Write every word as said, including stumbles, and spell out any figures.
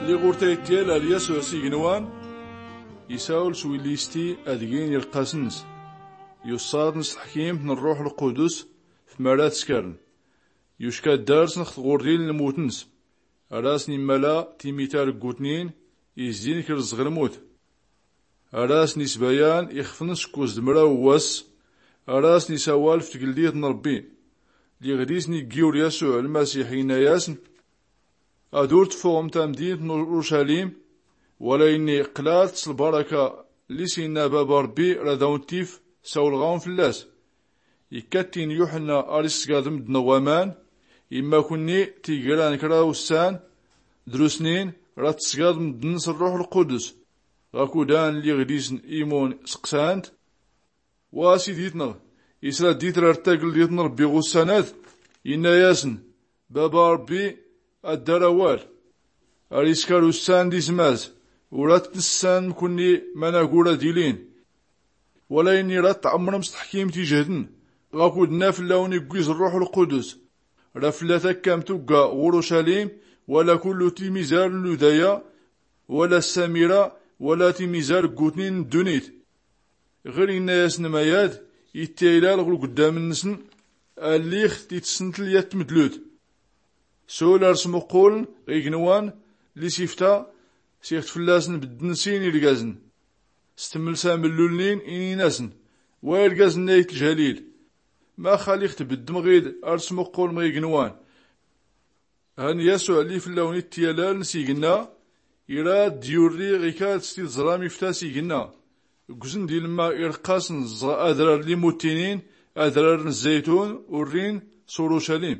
Liɣ ɣur-tayt tyal ar yasuɛ s-ignwan, isawel s-willisti ad-gin irqqas-ns. Yuṣṣaḍ-n s-tḥkimt n-ṛṛuḥ lqudus f-mara tskaren. Yucka ddars n-x-tɣurdin n-lmut-ns. Ar-asn-immala timita rggutnin izzin k-rrẓɣ lmut. Ar-asn-isbayan ixfn s-kuz d-mraw wass. Ar-asn-isawal f-tgldit n-ṛbbi. Liɣ-d-isn-iggi ur yasuɛ lmasiḥ inna-yasn, ad-ur-tfuɣm tamdint n-uṛucalim, wala inni qlat s-lbaraka lli-s inna baba ṛbbi rad-awn-tif sawlɣ-awn fllas. Ikka-t-in yuḥnna ar-issgad mddn ɣ-waman. Imma kunni tigran kra ussan, drusnin, rad-tsgad mddn s-ṛṛuḥ lqudus. Ɣakud-an liɣ-d-isn imun sqsan-t, wa sidit-nɣ, isra-d-itrar tagldit n-ṛbbi ɣ-ussan-ad? Inna-yasn, baba ṛbbi ad-dar awal. Ar-iskar ussan d-izmaz, ur-at-tnssan mkunni managur ad-ilin. Wala inni rad-tɛmrm s-tḥkimt ijhdn, ɣakud-nna fllawn-igwiz ṛṛuḥ lqudus. Ra flla-takkamt ugga ɣ-uṛucalim, wala kullu timizar n-ludaya, wala s-samira, wala timizar ggutnin n-ddunit. Ɣir inna-yasn mayad ittaylal ɣur-gddam-nsn, alliɣ-t-itsntl yat tmdlut. Sul ar-smuqquln ɣ-ignwan lli-s-ifta, siɣt fllasn bddn sin irgazn. Stmlsa mllulnin inin-asn, wa irgazn-nna itjalil, max alliɣ-t-bddm ɣid ar-smuqqulm ɣ-ignwan? Hn yasuɛ lli fllawn-ittyalaln s-ignna, irad-d-yurri ɣikad s-tiẓram ifta s-ignna. Ggzn d-ilmma irqqasn ẓɣ adrar lli-muttinin, adrar n-zzaytun urrin s-uṛucalim.